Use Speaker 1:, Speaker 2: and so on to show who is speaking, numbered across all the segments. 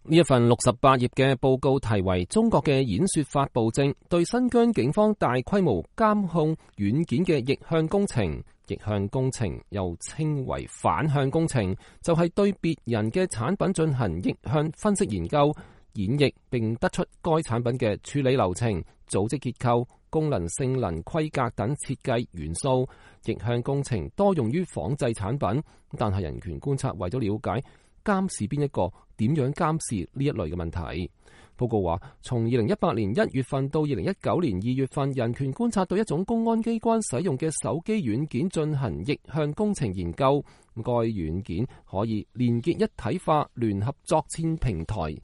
Speaker 1: 呢一份68頁嘅報告題為《中國嘅演說法暴政對新疆警方大規模監控軟件嘅逆向工程》。逆向工程又稱為反向工程，就係對別人嘅產品進行逆向分析研究、演繹，並得出該產品嘅處理流程、組織結構、功能、性能、規格等設計元素。逆向工程多用於仿製產品，但係人權觀察為咗了解監視邊一個、點樣監視呢一類嘅問題。報告話，從2018年1月份到2019年2月份，人權觀察對一種公安機關使用嘅手機軟件進行逆向工程研究。該軟件可以連結一體化聯合作戰平台，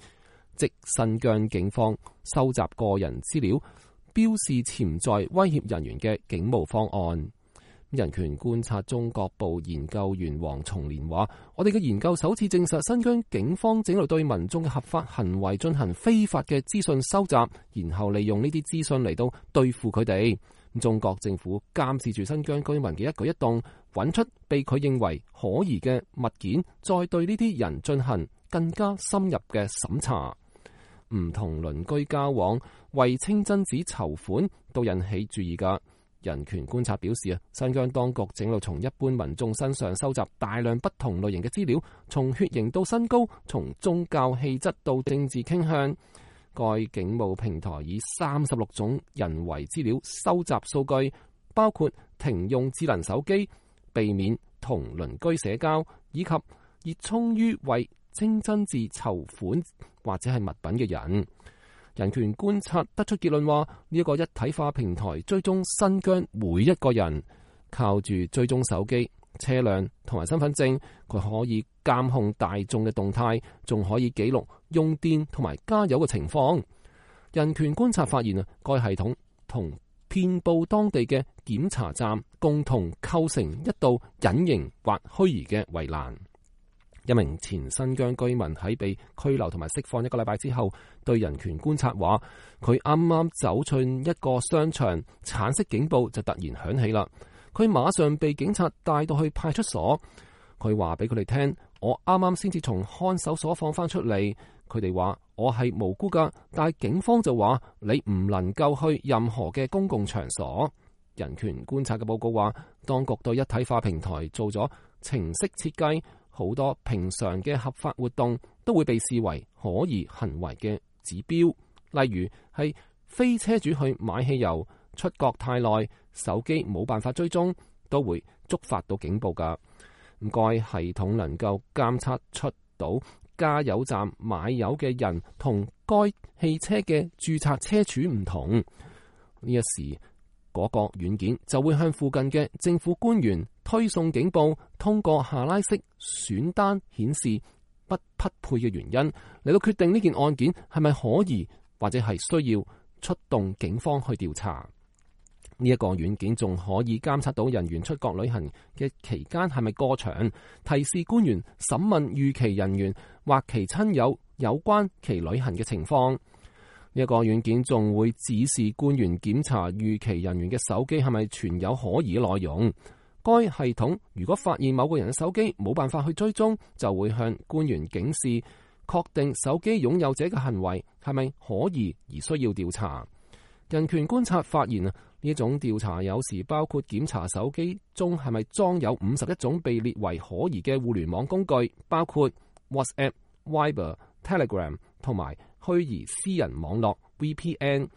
Speaker 1: 即新疆警方收集個人資料、標示潛在威脅人員嘅警務方案。人權觀察中國部研究員黃松年話：我哋嘅研究首次證實新疆警方正喺度對民眾嘅合法行為進行非法嘅資訊收集，然後利用呢啲資訊嚟到對付佢哋。中國政府監視住新疆居民嘅一舉一動，揾出被佢認為可疑嘅物件，再對呢啲人進行更加深入嘅審查。唔同鄰居交往，為清真寺籌款都引起注意㗎。人權觀察表示新疆當局正路從一般民眾身上收集大量不同類型嘅資料，從血型到身高，從宗教氣質到政治傾向。該警務平台以36種人為資料收集數據，包括停用智能手機、避免同鄰居社交，以及熱衷於為清真寺籌款或者係物品嘅人。人權觀察得出結論話，呢一個一體化平台追蹤新疆每一個人，靠住追蹤手機、車輛同埋身份證，佢可以監控大眾嘅動態，仲可以記錄用電同埋加油嘅情況。人權觀察發現該系統同遍佈當地嘅檢查站共同構成一道隱形或虛擬嘅圍欄。一名前新疆居民喺被拘留同埋釋放1個禮拜之後，對人權觀察話：佢啱啱走進一個商場，橙色警報就突然響起啦。佢馬上被警察帶到去派出所。佢話俾佢哋聽：我啱啱先至從看守所放翻出嚟。佢哋話我係無辜噶，但係警方就話你唔能夠去任何嘅公共場所。人權觀察嘅報告話，當局對一體化平台做咗程式設計。好多平常嘅合法活動都會被視為可疑行為嘅指標，例如係非車主去買汽油、出國太耐、手機冇辦法追蹤，都會觸發到警報㗎。該系統能夠監測出到加油站買油嘅人同該汽車嘅註冊車主唔同，呢一時嗰個軟件就會向附近嘅政府官員推送警報，通過下拉式選單顯示不匹配嘅原因，嚟到決定呢件案件係咪可疑，或者係需要出動警方去調查。呢一個軟件仲可以監測到人員出國旅行嘅期間係咪過長，提示官員審問預期人員或其親友有關其旅行嘅情況。呢一個軟件仲會指示官員檢查預期人員嘅手機係咪存有可疑嘅內容。該系統如果發現某個人嘅手機冇辦法去追蹤，就會向官員警示，確定手機擁有者嘅行為係咪可疑而需要調查。人權觀察發現呢種調查有時包括檢查手機中係咪裝有51種被列為可疑嘅互聯網工具，包括 WhatsApp、Viber、Telegram 同埋虛擬私人網絡 VPN。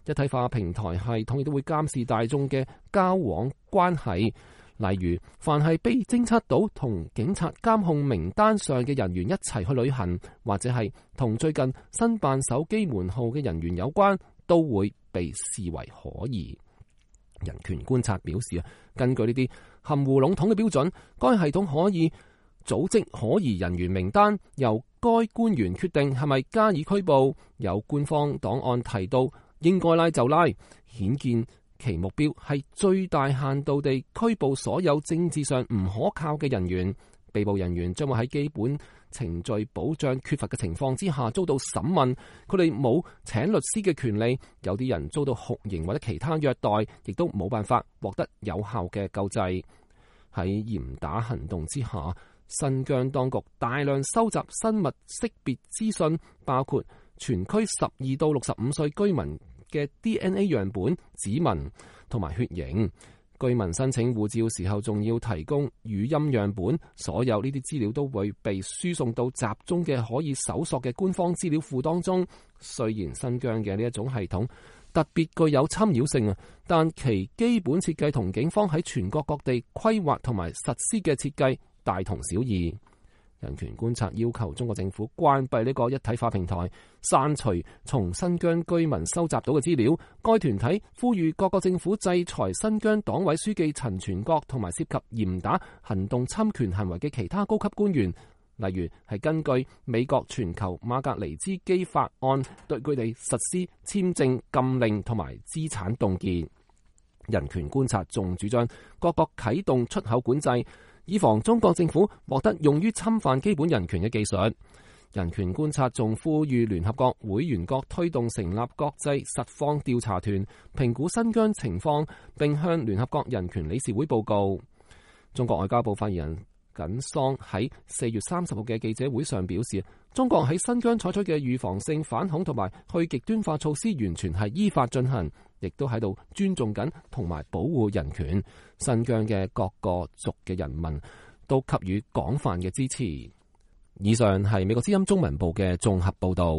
Speaker 1: 一體化平台系統亦都會監視大眾嘅交往關係，例如凡係被偵測到同警察監控名單上嘅人員一齊去旅行，或者係同最近申辦手機門號嘅人員有關，都會被視為可疑。人權觀察表示根據呢啲含糊籠統嘅標準，該系統可以組織可疑人員名單，由該官員決定係咪加以拘捕。有官方檔案提到應該拉就拉，顯見其目標係最大限度地拘捕所有政治上唔可靠嘅人員。被捕人員將會喺基本程序保障缺乏嘅情況之下遭到審問，佢哋冇請律師嘅權利，有啲人遭到酷刑或者其他虐待，亦都冇辦法獲得有效嘅救濟。喺嚴打行動之下，新疆當局大量收集生物識別資訊，包括全區12到65歲居民嘅 DNA 樣本、指紋同埋血型。居民申請護照時候仲要提供語音樣本，所有呢啲資料都會被輸送到集中嘅可以搜索嘅官方資料庫當中。雖然新疆嘅呢一種系統特別具有侵擾性啊，但其基本設計同警方喺全國各地規劃同埋實施嘅設計大同小異。人權觀察要求中國政府關閉呢個一體化平台，刪除從新疆居民收集到嘅資料。該團體呼籲各個政府制裁新疆黨委書記陳全國同埋涉及嚴打行動侵權行為嘅其他高級官員，例如係根據美國全球馬格尼茲基法案對佢哋實施簽證禁令同埋資產凍結。人權觀察仲主張各國啟動出口管制，以防中國政府獲得用於侵犯基本人權嘅技術。人權觀察仲呼籲聯合國會員國推動成立國際實況調查團，評估新疆情況，並向聯合國人權理事會報告。中國外交部發言人耿桑喺4月30號嘅記者會上表示，中國喺新疆採取嘅預防性反恐同埋去極端化措施完全係依法進行，亦都喺度尊重緊同埋保護人權。新疆嘅各個族嘅人民都給予廣泛嘅支持。以上係美國之音中文部嘅綜合報道。